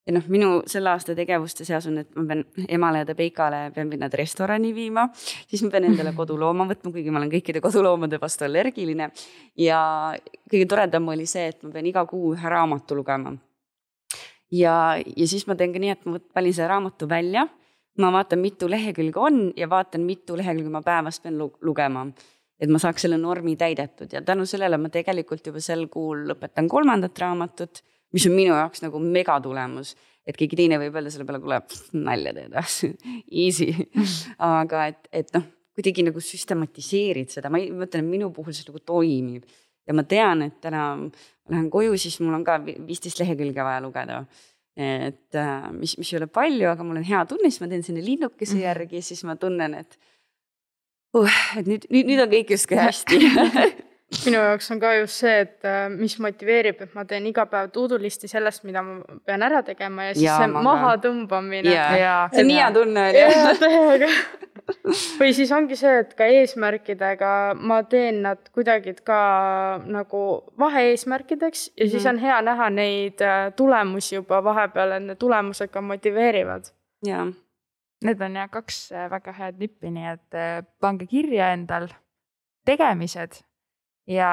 Ja minu selle aasta tegevuste seas on, et ma pean emale ja Peikale pean nad restorani viima, siis ma pean endale kodulooma võtma, kuigi ma olen kõikide koduloomade vastu allergiline. Ja kõige toredam oli see, et ma pean iga kuu ühe raamatu lugema. Ja siis ma teen ka nii, et ma valin selle raamatu välja, ma vaatan, mitu lehekülge on ja vaatan, mitu lehekülge ma päevast pean lugema, et ma saaks selle normi täidetud. Ja tänu sellele ma tegelikult juba sel kuul lõpetan 3. raamatut, mis on minu jaoks nagu megatulemus, et keegi teine võib öelda selle peale, kui nalja teeda, easy. Aga et kuidagi nagu süstematiseerid seda, ma mõtlen, et minu puhul see nagu toimib. Ja ma tean, et täna lähen koju, siis mul on ka 15 lehekülge vaja lugeda. Et mis ei ole palju, aga mul on hea tunne, siis ma teen sinne linnukese järgi, siis ma tunnen, et nüüd on kõik justkui hästi. Minu jaoks on ka just see, et mis motiveerib, et ma teen iga päev tuudulisti sellest, mida ma pean ära tegema ja siis see maha tõmbamine. See on hea tunne oli. Või siis ongi see, et ka eesmärkidega ma teen nad kuidagi ka nagu vahe-eesmärkideks ja siis on hea näha neid tulemusi juba vahepeal, et need tulemused ka motiveerivad. Need on 2 väga head nippi, nii et pange kirja endal tegemised ja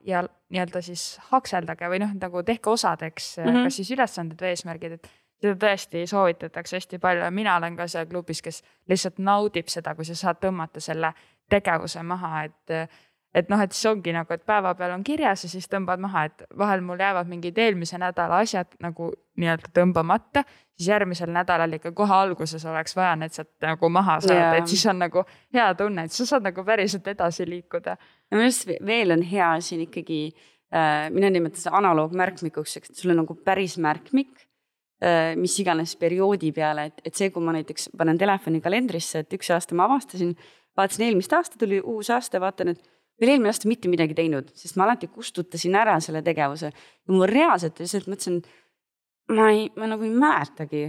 nii-öelda siis hakseldage või nagu tehke osadeks, kas siis ülesanded või eesmärgid, et seda tõesti soovitatakse hästi palju ja mina olen ka seal klubis, kes lihtsalt naudib seda, kui sa saad tõmmata selle tegevuse maha, et siis ongi nagu, et päeva peal on kirjas ja siis tõmbad maha, et vahel mul jäävad mingid eelmise nädala asjad nagu nii-öelda tõmbamata, siis järgmisel nädalal ikka kohe alguses oleks vaja need sealt nagu maha saada, et siis on nagu hea tunne, et sa saad nagu päriselt edasi liikuda. Ja minu arust veel on hea siin ikkagi, mina nimetan seda analoogmärkmikuks, et sul on nagu päris märkmik mis iganes perioodi peale, et see, kui ma näiteks panen telefoni kalendrisse, et 1 aasta ma avastasin, vaatasin eelmist aasta, tuli uus aasta, vaatan, et veel eelmine aasta mitte midagi teinud, sest ma alati kustutasin ära selle tegevuse. Ja mul reaalselt lihtsalt mõtlesin, ma nagu ei mäletagi,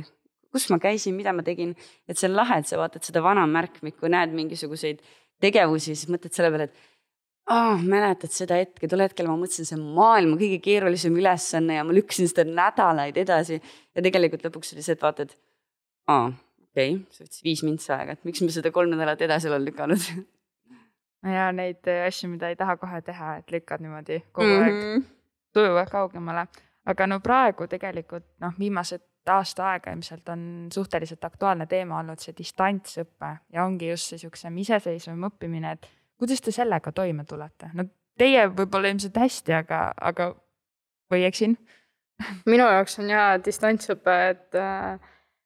kus ma käisin, mida ma tegin, et see on lahe, et sa vaatad seda vana märkmikku, näed mingisuguseid tegevusi, siis mõtled selle peale, et mäletad seda hetke, tol hetkel ma mõtlesin, see maailma kõige keerulisem ülesanne ja ma lükkasin seda nädalaid edasi ja tegelikult lõpuks oli see, et vaatad, okei, see võttis 5 mintsa aega, et miks me seda 3 nädalat edasi olen lükanud. Ja neid asju, mida ei taha kohe teha, et lükkad niimoodi kogu aeg tujuvad kaugemale. Aga no praegu tegelikult viimased aasta aega ilmselt on suhteliselt aktuaalne teema olnud see distantsõppe ja ongi just see siuksem iseseisvam õppimine, et kuidas te sellega toime tulete? No teie võib-olla ilmselt hästi, aga või eksin? Minu jaoks on distantsõpe, et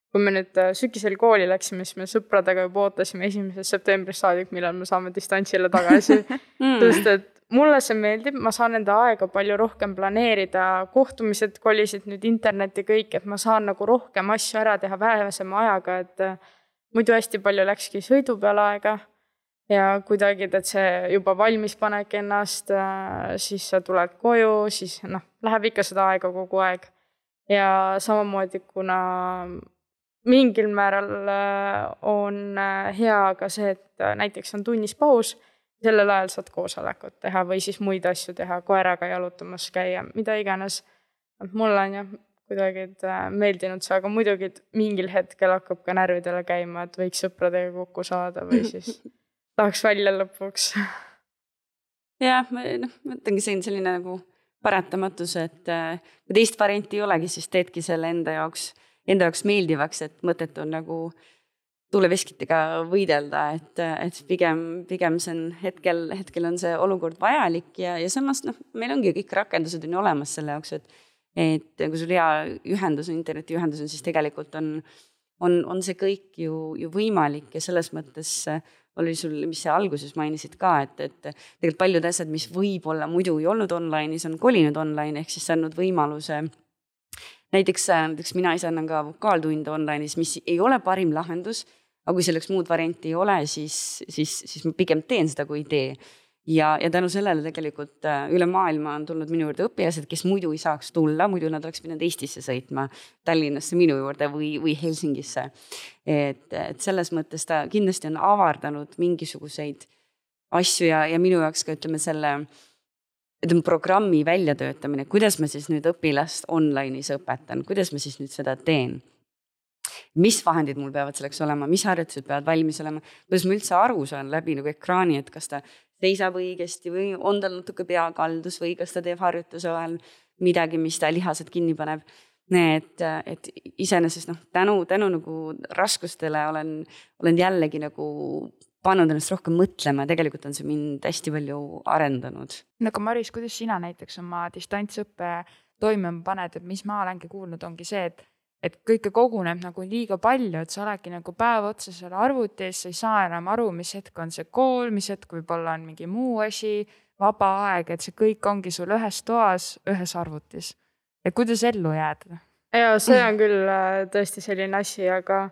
kui me nüüd sügisel kooli läksime, siis me sõpradega juba ootasime 1. septembrist saadik, millal me saame distantsile tagasi. Sest et mulle see meeldib, ma saan enda aega palju rohkem planeerida, kohtumised kolisid nüüd interneti kõik, et ma saan nagu rohkem asju ära teha vähesema ajaga, et muidu hästi palju läkski sõidu peale aega. Ja kuidagi, et see juba valmis panek ennast, siis sa tuled koju, siis läheb ikka seda aega kogu aeg. Ja samamoodi, kuna mingil määral on hea ka see, et näiteks on tunnis paus, sellel ajal saad koosolekut teha või siis muid asju teha, koeraga jalutamas käia, mida iganes. Mulle on kuidagi meeldinud see, aga muidugi mingil hetkel hakkab ka närvidele käima, et võiks sõpradega kokku saada või siis tahaks välja lõpuks. Jah, ma mõtlengi selline nagu paratamatus, et kui teist varianti ei olegi, siis teedki selle enda jaoks meeldivaks, et mõtet on nagu tuuleveskitega võidelda, et pigem see on hetkel on see olukord vajalik ja samas meil ongi kõik rakendused on olemas selle jaoks, et kui sul hea ühendus, internetiühendus on, siis tegelikult on see kõik ju võimalik ja selles mõttes oli sul, mis sa alguses mainisid ka, et tegelikult paljud asjad, mis võib-olla muidu ei olnud online'is, on kolinud online, ehk siis saanud võimaluse. Näiteks mina ise annan ka vokaaltunde online'is, mis ei ole parim lahendus, aga kui selleks muud varianti ei ole, siis ma pigem teen seda, kui ei tee. Ja tänu sellele tegelikult üle maailma on tulnud minu juurde õpilased, kes muidu ei saaks tulla, muidu nad oleks pidanud Eestisse sõitma, Tallinnasse minu juurde või Helsingisse. Et selles mõttes ta kindlasti on avardanud mingisuguseid asju ja minu jaoks ka ütleme selle programmi väljatöötamine, kuidas ma siis nüüd õpilast online'is õpetan, kuidas ma siis nüüd seda teen. Mis vahendid mul peavad selleks olema, mis harjutused peavad valmis olema, kuidas ma üldse aru saan läbi nagu ekraani, et kas ta seisab õigesti või on tal natuke peakaldus või kas ta teeb harjutuse vahel midagi, mis ta lihased kinni paneb. Et iseenesest tänu nagu raskustele olen jällegi nagu pannud ennast rohkem mõtlema ja tegelikult on see mind hästi palju arendanud. Aga Maris, kuidas sina näiteks oma distantsõppe toime paned, et mis ma olengi kuulnud, ongi see, et kõike koguneb nagu liiga palju, et sa oledki nagu päev otsa seal arvutis, sa ei saa enam aru, mis hetk on see kool, mis hetk võib-olla on mingi muu asi, vaba aeg, et see kõik ongi sul ühes toas, ühes arvutis. Ja kuidas ellu jääda? Ja see on küll tõesti selline asi, aga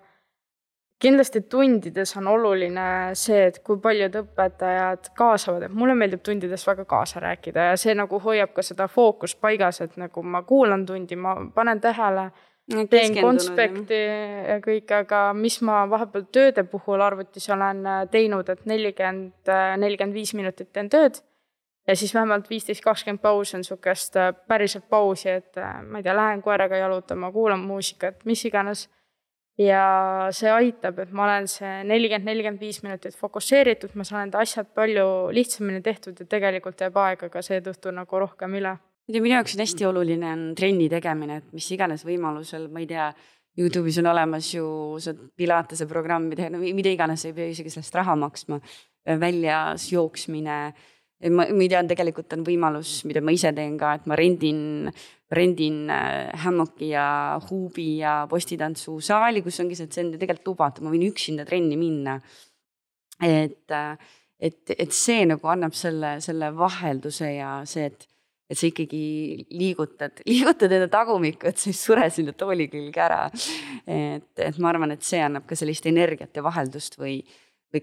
kindlasti tundides on oluline see, et kui paljud õpetajad kaasavad, et mulle meeldib tundides väga kaasa rääkida ja see nagu hoiab ka seda fookust paigas, et nagu ma kuulan tundi, ma panen tähele, teen konspekti ja kõik, aga mis ma vahepeal tööde puhul arvutis olen teinud, et 40-45 minutit teen tööd ja siis vähemalt 15-20 paus on sukest päriselt pausi, et ma ei tea, lähen koeraga jalutama, kuulan muusikat, mis iganes. Ja see aitab, et ma olen see 40-45 minutit fokusseeritud, ma saan enda asjad palju lihtsamini tehtud ja tegelikult jääb aega ka seetõttu nagu rohkem üle. Minu jaoks on hästi oluline on trenni tegemine, et mis iganes võimalusel, ma ei tea, YouTube'is on olemas ju Pilatese programmi teha, mida iganes ei pea isegi sellest raha maksma, väljas jooksmine. Ma ei tea, tegelikult on võimalus, mida ma ise teen ka, et ma rendin hämmoki ja huubi ja postitantsu saali, kus ongi see, et see on tegelikult lubatud, ma võin üksinda trenni minna. Et see nagu annab selle vahelduse ja see, et et sa ikkagi liigutad enda tagumikku, et sa ei sure sinna tooli külge ära. Et ma arvan, et see annab ka sellist energiat ja vaheldust või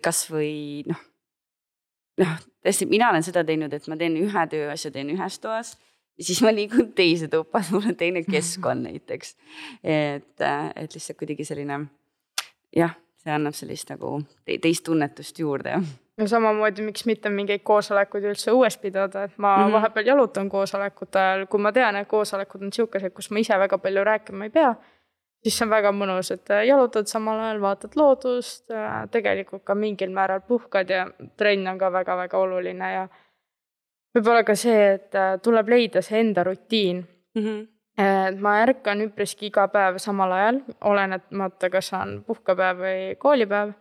kas või tõesti, mina olen seda teinud, et ma teen ühe tööasja, teen ühes toas ja siis ma liigun teise tuppa, mul on teine keskkond näiteks. Et lihtsalt kuidagi selline, jah, see annab sellist nagu teist tunnetust juurde. Ja samamoodi, miks mitte mingeid koosolekuid üldse uues pidada, et ma vahepeal jalutan koosolekute ajal, kui ma tean, et koosolekud on siukesed, kus ma ise väga palju rääkima ei pea, siis see on väga mõnus, et jalutad samal ajal, vaatad loodust, tegelikult ka mingil määral puhkad ja trenn on ka väga-väga oluline ja võib-olla ka see, et tuleb leida see enda rutiin. Et ma ärkan üpriski iga päev samal ajal, olenemata kas on puhkepäev või koolipäev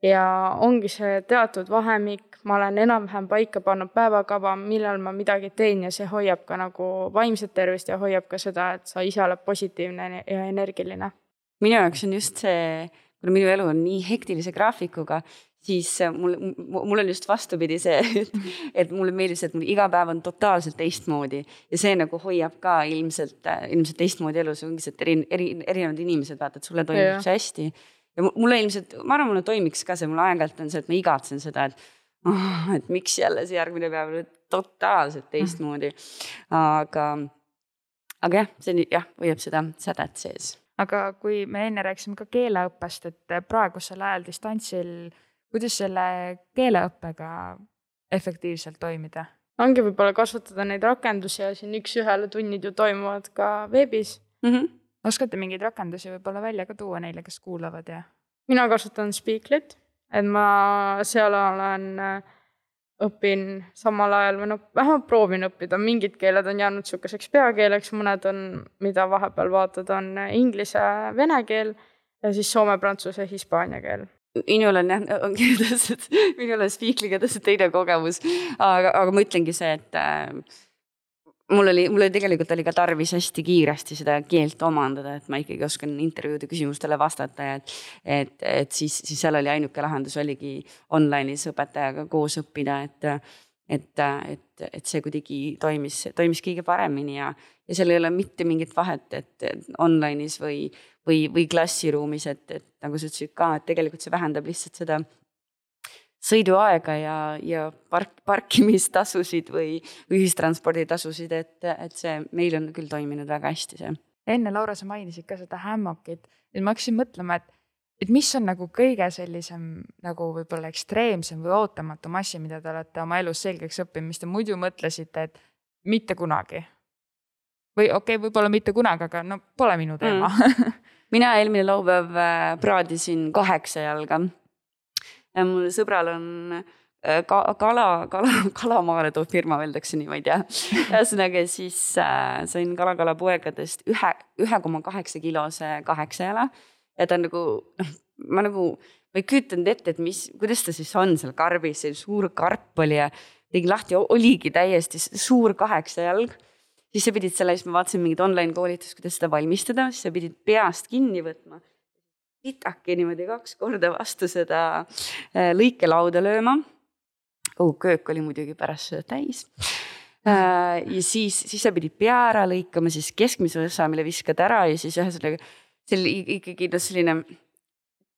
ja ongi see teatud vahemik, ma olen enam-vähem paika pannud päevakava, millal ma midagi teen ja see hoiab ka nagu vaimset tervist ja hoiab ka seda, et sa ise oled positiivne ja energiline. Minu jaoks on just see, kuna minu elu on nii hektilise graafikuga, siis mul on just vastupidi see, et mulle meeldib see, et mul iga päev on totaalselt teistmoodi ja see nagu hoiab ka ilmselt teistmoodi elus, ongi see, et erinevad inimesed vaatad, sulle toimub see hästi. Ja mulle ilmselt, ma arvan, mulle toimiks ka see, mulle aeg-ajalt on see, et ma igatsen seda, et miks jälle see järgmine päev oli totaalselt teistmoodi. Aga jah, see hoiab seda sädet sees. Aga kui me enne rääkisime ka keeleõppest, et praegusel ajal distantsil, kuidas selle keeleõppega efektiivselt toimida? Ongi võib-olla kasutada neid rakendusi ja siin üks-ühele tunnid ju toimuvad ka veebis. Oskate mingeid rakendusi võib-olla välja ka tuua neile, kes kuulavad? Ja? Mina kasutan Speaklit, et ma seal õpin samal ajal või vähemalt proovin õppida. Mingid keeled on jäänud sukeseks peakeeleks, mõned on, mida vahepeal vaatad, on inglise, vene keel ja siis soome, prantsuse, hispaania keel. Minul on Speakliga tõesti teine kogemus, aga ma ütlengi see, et mul tegelikult oli ka tarvis hästi kiiresti seda keelt omandada, et ma ikkagi oskan intervjuude küsimustele vastata ja et siis seal oli ainuke lahendus oligi online'is õpetajaga koos õppida, et see kuidagi toimis kõige paremini ja seal ei ole mitte mingit vahet, et online'is või klassiruumis, et nagu sa ütlesid ka, et tegelikult see vähendab lihtsalt seda sõiduaega ja parkimistasusid või ühistransporditasusid, et see meil on küll toiminud väga hästi see. Enne, Laura, sa mainisid ka seda hammokit, et ma hakkasin mõtlema, et mis on nagu kõige sellisem nagu võib-olla ekstreemsem või ootamatum asi, mida te olete oma elus selgeks õppinud, mis te muidu mõtlesite, et mitte kunagi. Või okei, võib-olla mitte kunagi, aga pole minu teema. Mina eelmine laupäev praadisin 8 jalga. Mul sõbral on kalamaale toob firma, öeldakse nii, ma ei tea. Ühesõnaga siis sain kala poegadest 1,8 kilose 8 jala. Ja ta on ma ei kütanud ette, et kuidas ta siis on seal karbis, see suur karp oli ja tegin lahti, oligi täiesti suur 8 jalg. Siis sa pidid selle, ma vaatasin mingid online koolitust, kuidas seda valmistada, siis sa pidid peast kinni võtma. Pitaki niimoodi 2 korda vastu seda lõikelauda lööma. Köök oli muidugi pärast seda täis. Ja siis sa pidid pea ära lõikama, siis keskmise osa, mille viskad ära ja siis ühesõnaga ikkagi selline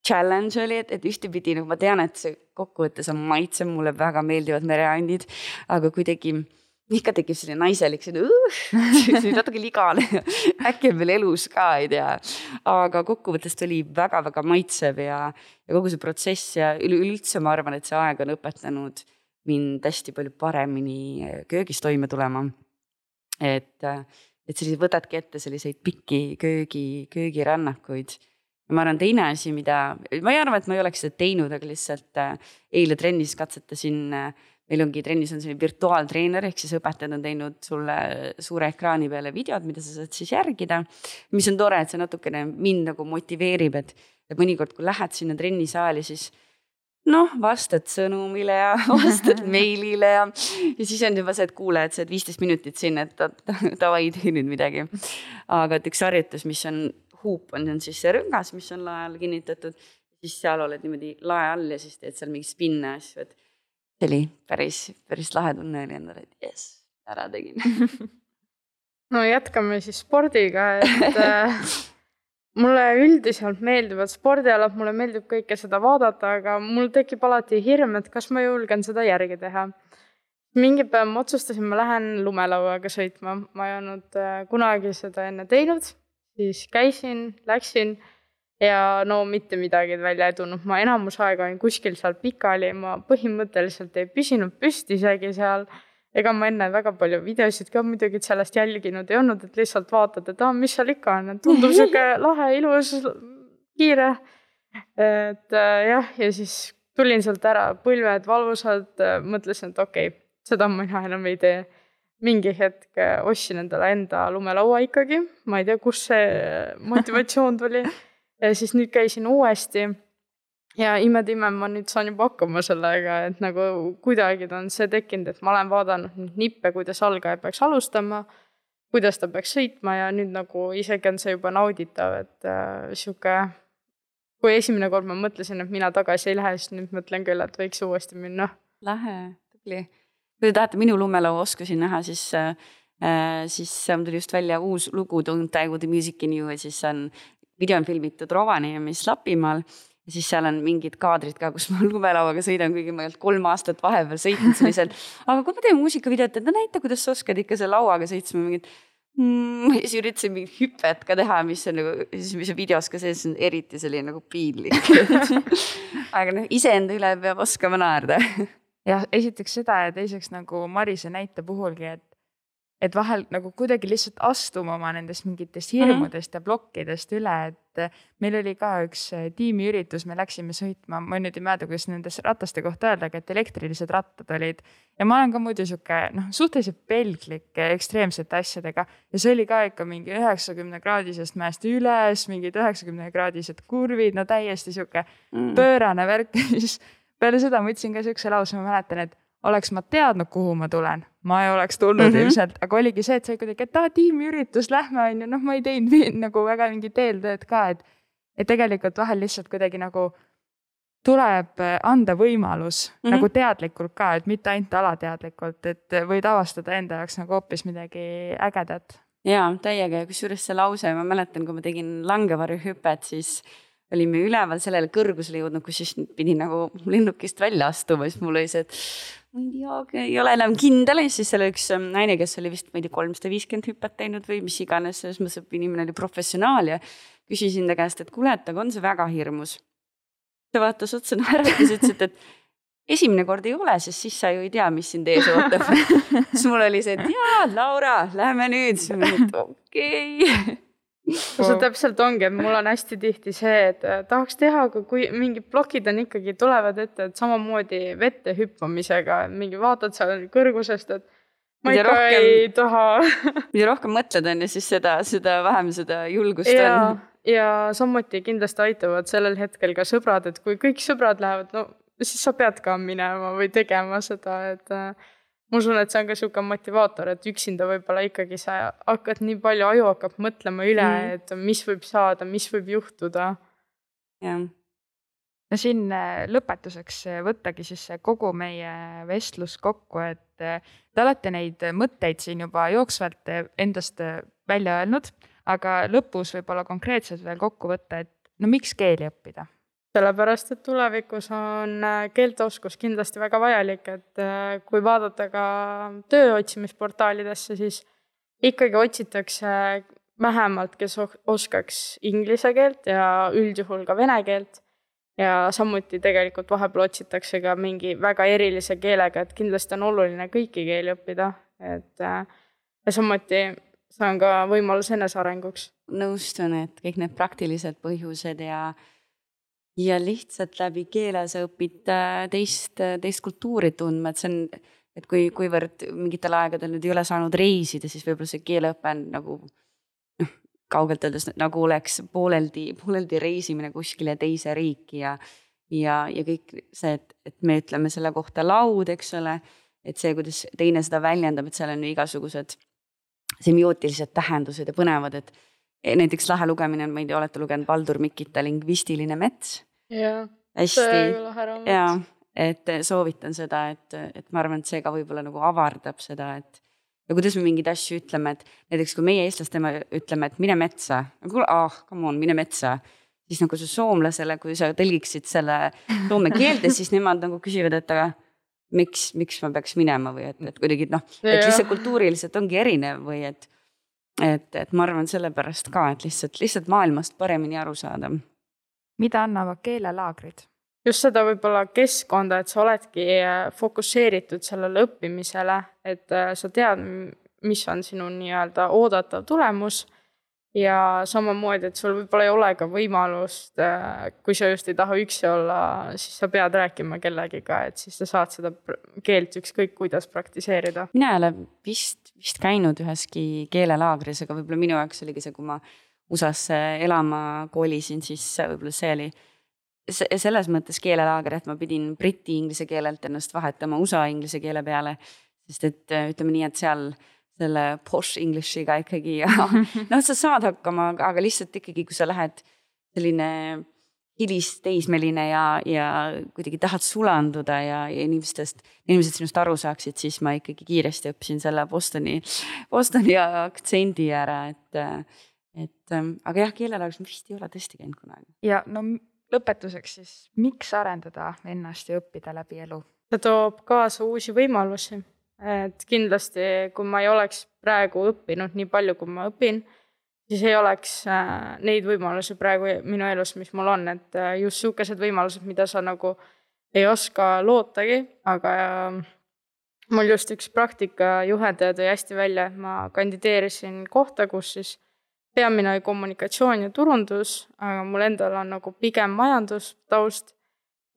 challenge oli, et ühtepidi ma tean, et see kokkuvõttes on maitse, mulle väga meeldivad mereandid, aga kuidagi ikka tekib selline naiselik, see natuke ligane, äkki on veel elus ka, ei tea. Aga kokkuvõttest oli väga-väga maitsev ja kogu see protsess ja üleüldse ma arvan, et see aeg on õpetanud mind hästi palju paremini köögis toime tulema. Et sellised võtadki ette selliseid pikki köögirännakuid. Ja ma arvan, teine asi, ma ei arva, et ma ei oleks seda teinud, aga lihtsalt eile trennis katsetasin. Meil ongi trennis on selline virtuaaltreener, ehk siis õpetajad on teinud sulle suure ekraani peale videod, mida sa saad siis järgida. Mis on tore, et see natukene mind nagu motiveerib, et mõnikord, kui lähed sinna trennisaali, siis vastad sõnumile ja vastad meilile ja siis on juba see, et kuule, et sa oled 15 minutit sinna, et tavai tee nüüd midagi. Aga et üks harjutus, mis on huup, on siis see rõngas, mis on lae all kinnitatud, siis seal oled niimoodi lae all ja siis teed seal mingi spinne asju, et see oli päris lahe tunne oli endale, et yes, ära tegin. No jätkame siis spordiga, et mulle üldiselt meeldivad spordialad, mulle meeldib kõike seda vaadata, aga mul tekib alati hirm, et kas ma julgen seda järgi teha. Mingi päev ma otsustasin, ma lähen lumelauaga sõitma. Ma ei olnud kunagi seda enne teinud, siis läksin ja no mitte midagi välja ei tulnud. Ma enamus aega olin kuskil seal pikali, ma põhimõtteliselt ei püsinud püsti isegi seal. Ega ma enne väga palju videosid ka muidugi sellest jälginud ei olnud, et lihtsalt vaatad, et mis seal ikka on, tundub siuke lahe, ilus, kiire. Et jah, ja siis tulin sealt ära, põlved valvusad, mõtlesin, et okei, seda mina enam ei tee. Mingi hetk ostsin endale enda lumelaua ikkagi, ma ei tea, kus see motivatsioon tuli. Ja siis nüüd käisin uuesti. Ja ime, ma nüüd saan juba hakkama sellega, et nagu kuidagi on see tekkinud, et ma olen vaadanud nippe, kuidas algaja peaks alustama, kuidas ta peaks sõitma ja nüüd nagu isegi on see juba nauditav, et siuke, kui esimene kord ma mõtlesin, et mina tagasi ei lähe, siis nüüd mõtlen küll, et võiks uuesti minna. Lähe, tubli. Kui te tahate minu lumelaua oskusi näha, siis tuli just välja uus lugu Don't Die With The Music In You, ja siis on video on filmitud Rovaniemis Lapimaal. Ja siis seal on mingid kaadrid ka, kus ma lumelauaga sõidan, kuigi ma ei olnud 3 aastat vahepeal sõitnud sellisel. Aga kui ma teen muusikavideot, et näita, kuidas sa oskad ikka selle lauaga sõitsma mingid. Siis üritasin mingit hüpet ka teha, mis on nagu, mis videos ka sees on eriti selline nagu piinlik. Aga iseenda üle peab oskama naerda. Ja esiteks seda ja teiseks nagu Marise näite puhulgi, et vahel nagu kuidagi lihtsalt astuma oma nendest mingitest hirmudest ja blokkidest üle, et meil oli ka üks tiimiüritus, me läksime sõitma, ma nüüd ei mäleta, kuidas nendest rataste kohta öelda, et elektrilised rattad olid ja ma olen ka muidu siuke suhteliselt pelglik ekstreemsete asjadega ja see oli ka ikka mingi 90-kraadisest mäest üles, mingid 90-kraadised kurvid, no täiesti siuke pöörane värk. Siis peale seda ma ütlesin ka siukse lause, ma mäletan, et oleks ma teadnud, kuhu ma tulen, ma ei oleks tulnud ilmselt, aga oligi see, et sai kuidagi, et tiimiüritus, lähme on ju, ma ei teinud nagu väga mingit eeltööd ka, et tegelikult vahel lihtsalt kuidagi nagu tuleb anda võimalus nagu teadlikult ka, et mitte ainult alateadlikult, et võid avastada enda jaoks nagu hoopis midagi ägedat. Jaa, täiega, kusjuures see lause, ma mäletan, kui ma tegin langevarjuhüpet, siis olime üleval sellele kõrgusele jõudnud, kus siis pidin nagu lennukist välja astuma, siis mul oli see, et ma ei ole enam kindel, ja siis seal üks naine, kes oli vist, ma ei tea, 350 hüpet teinud või mis iganes, selles mõttes, et inimene oli professionaal ja küsisin ta käest, et kuule, et aga on see väga hirmus. Ta vaatas otsa naeratas ja ütles, et esimene kord ei ole, sest siis sa ju ei tea, mis sind ees ootab. Siis mul oli see, et jaa, Laura, lähme nüüd. Siis ma olin, et okei. See täpselt ongi, et mul on hästi tihti see, et tahaks teha, aga kui mingid blokid on ikkagi tulevad ette, et samamoodi vette hüppamisega, mingi vaatad seal kõrgusest, et ma ikka ei taha. Mida rohkem mõtled on ja siis seda vähem seda julgust on. Ja samuti kindlasti aitavad sellel hetkel ka sõbrad, et kui kõik sõbrad lähevad, no siis sa pead ka minema või tegema seda, et ma usun, et see on ka siuke motivaator, et üksinda võib-olla ikkagi sa hakkad nii palju, aju hakkab mõtlema üle, et mis võib saada, mis võib juhtuda. Jah. No siin lõpetuseks võttagi siis kogu meie vestlus kokku, et te olete neid mõtteid siin juba jooksvalt endast välja öelnud, aga lõpus võib-olla konkreetselt veel kokku võtta, et no miks keeli õppida? Sellepärast, et tulevikus on keelteoskus kindlasti väga vajalik, et kui vaadata ka tööotsimisportaalidesse, siis ikkagi otsitakse vähemalt, kes oskaks inglise keelt ja üldjuhul ka vene keelt. Ja samuti tegelikult vahepeal otsitakse ka mingi väga erilise keelega, et kindlasti on oluline kõiki keeli õppida. Ja samuti see on ka võimalus enesearenguks. Nõustun, et kõik need praktilised põhjused ja lihtsalt läbi keele sa õpid teist kultuuri tundma, et see on, et kuivõrd mingitel aegadel nüüd ei ole saanud reisida, siis võib-olla see keeleõpe on nagu kaugelt öeldes nagu oleks pooleldi reisimine kuskile teise riiki ja kõik see, et me ütleme selle kohta laud, eks ole, et see, kuidas teine seda väljendab, et seal on igasugused semiootilised tähendused ja põnevad, et näiteks lahe lugemine on, ma ei tea, olete lugenud Baldur Mikita Lingvistiline mets? Jaa, see lahe raamat. Jaa, et soovitan seda, et ma arvan, et see ka võib-olla nagu avardab seda, ja kuidas me mingeid asju ütleme, et näiteks kui meie eestlastena ütleme, et mine metsa, come on, mine metsa, siis nagu see soomlasele, kui sa tõlgiksid selle soome keelde, siis nemad nagu küsivad, et aga miks ma peaks minema või et kuidagi et lihtsalt kultuuriliselt ongi erinev või et ma arvan sellepärast ka, et lihtsalt maailmast paremini aru saada. Mida annavad keelelaagrid? Just seda võib-olla keskkonda, et sa oledki fokusseeritud sellele õppimisele, et sa tead, mis on sinu nii-öelda oodatav tulemus ja samamoodi, et sul võib-olla ei ole ka võimalust, kui sa just ei taha üksi olla, siis sa pead rääkima kellegiga, et siis sa saad seda keelt ükskõik kuidas praktiseerida. Mina ei ole vist käinud üheski keelelaagris, aga võib-olla minu jaoks oligi see, kui ma USA-sse elama koolisin, siis võib-olla see oli selles mõttes keelelaager, et ma pidin briti inglise keelelt ennast vahetama USA inglise keele peale, sest et ütleme nii, et seal selle posh Englishiga ikkagi sa saad hakkama, aga lihtsalt ikkagi, kui sa lähed selline hilisteismeline ja kuidagi tahad sulanduda ja inimesed sinust aru saaksid, siis ma ikkagi kiiresti õppisin selle Bostoni aktsendi ära, aga jah, keelelaager vist ei ole tõesti käinud kunagi. Ja lõpetuseks siis, miks arendada ennast ja õppida läbi elu? See toob kaasa uusi võimalusi. Et kindlasti, kui ma ei oleks praegu õppinud nii palju, kui ma õpin, siis ei oleks neid võimalusi praegu minu elus, mis mul on. Et just suukesed võimalused, mida sa nagu ei oska lootagi, aga mul just üks praktikajuhendaja tõi hästi välja, et ma kandideerisin kohta, kus siis peamine kommunikatsioon ja turundus, aga mul endal on nagu pigem majandustaust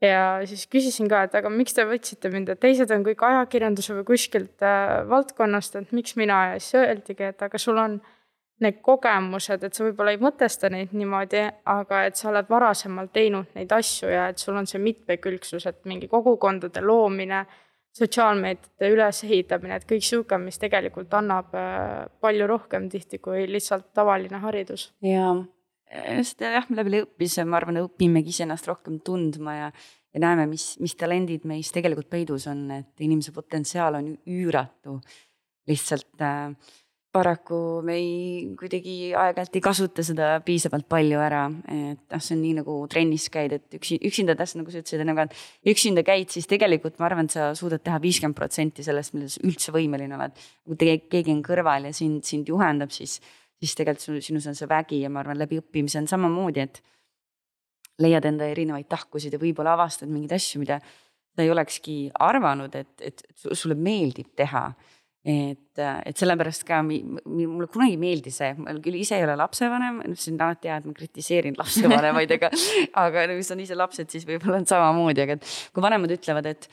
ja siis küsisin ka, et aga miks te võtsite mind, et teised on kõik ajakirjanduse või kuskilt valdkonnast, et miks mina ja siis öeldigi, et aga sul on need kogemused, et sa võib-olla ei mõtesta neid niimoodi, aga et sa oled varasemalt teinud neid asju ja et sul on see mitmekülgsus, et mingi kogukondade loomine, sotsiaalmeediate ülesehitamine, et kõik siuke, mis tegelikult annab palju rohkem tihti kui lihtsalt tavaline haridus. Ja läbi õppise, ma arvan, õpimegi iseennast rohkem tundma ja näeme, mis talendid meis tegelikult peidus on, et inimese potentsiaal on üüratu. Lihtsalt paraku me kuidagi aeg-ajalt ei kasuta seda piisavalt palju ära, et see on nii nagu trennis käid, et üksinda täpselt nagu sa ütlesid, et üksinda käid, siis tegelikult ma arvan, et sa suudad teha 50% sellest, milles üldse võimeline oled. Kui keegi on kõrval ja sind juhendab, siis tegelikult sinus on see vägi ja ma arvan, läbi õppimise on samamoodi, et leiad enda erinevaid tahkusid ja võib-olla avastad mingeid asju, mida sa ei olekski arvanud, et sulle meeldib teha. Et sellepärast ka mulle kunagi meeldi see, ma küll ise ei ole lapsevanem, see on alati hea, et ma kritiseerin lapsevanemaid, aga kui on ise lapsed, siis võib-olla on samamoodi, aga kui vanemad ütlevad, et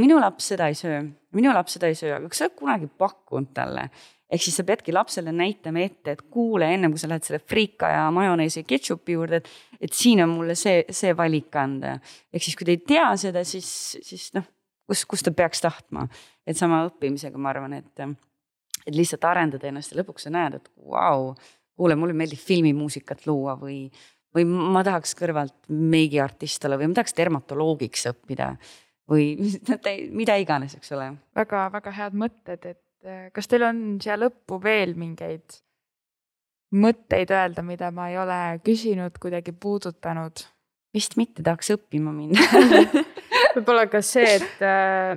minu laps seda ei söö, aga kas sa oled kunagi pakkunud talle? Ehk siis sa peadki lapsele näitama ette, et kuule ennem, kui sa lähed selle frika ja majoneesi ketšupi juurde, et siin on mulle see valik anda. Ehk siis kui te ei tea seda, siis kus ta peaks tahtma. Et sama õppimisega ma arvan, et lihtsalt arendada ennast ja lõpuks sa näed, et kuule, mulle meeldib filmimuusikat luua või ma tahaks kõrvalt meigiartist olla või ma tahaks dermatoloogiks õppida või mida iganes, eks ole. Väga, väga head mõtted, et kas teil on siia lõppu veel mingeid mõtteid öelda, mida ma ei ole küsinud, kuidagi puudutanud? Vist mitte, tahaks õppima minna. Võib-olla ka see, et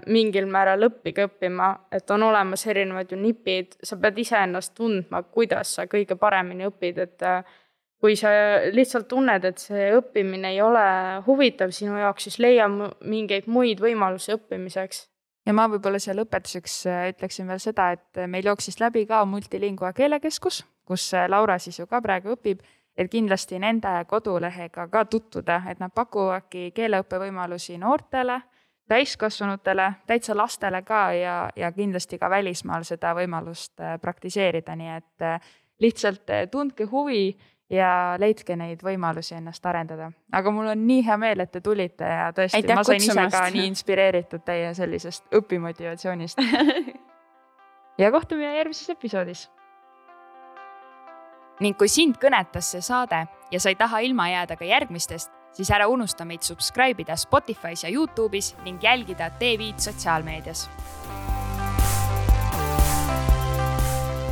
mingil määral õppima, et on olemas erinevad ju nipid, sa pead ise ennast tundma, kuidas sa kõige paremini õpid, et kui sa lihtsalt tunned, et see õppimine ei ole huvitav sinu jaoks, siis leia mingeid muid võimalusi õppimiseks. Ja ma võib-olla siia lõpetuseks ütleksin veel seda, et meil jooksis läbi ka Multilingua keelekeskus, kus Laura siis ju ka praegu õpib, et kindlasti nende kodulehega ka tutvuda, et nad pakuvadki keeleõppevõimalusi noortele, täiskasvanutele, täitsa lastele ka ja kindlasti ka välismaal seda võimalust praktiseerida, nii et lihtsalt tundke huvi ja leidke neid võimalusi ennast arendada. Aga mul on nii hea meel, et te tulite ja tõesti, ma sain ise ka nii inspireeritud teie sellisest õpimotivatsioonist. Ja kohtume järgmises episoodis. Ning kui sind kõnetas see saade ja sa ei taha ilma jääda ka järgmistest, siis ära unusta meid subscribe'ida Spotify's ja YouTube'is ning jälgida TV sotsiaalmeedias.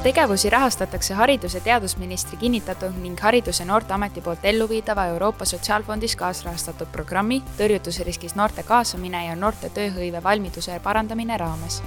Tegevusi rahastatakse Haridus- ja Teadusministri kinnitatud ning Haridus- ja Noorteameti poolt elluviidava Euroopa Sotsiaalfondis kaasrahastatud programmi tõrjutusriskis noorte kaasamine ja noorte tööhõive valmiduse parandamine raames.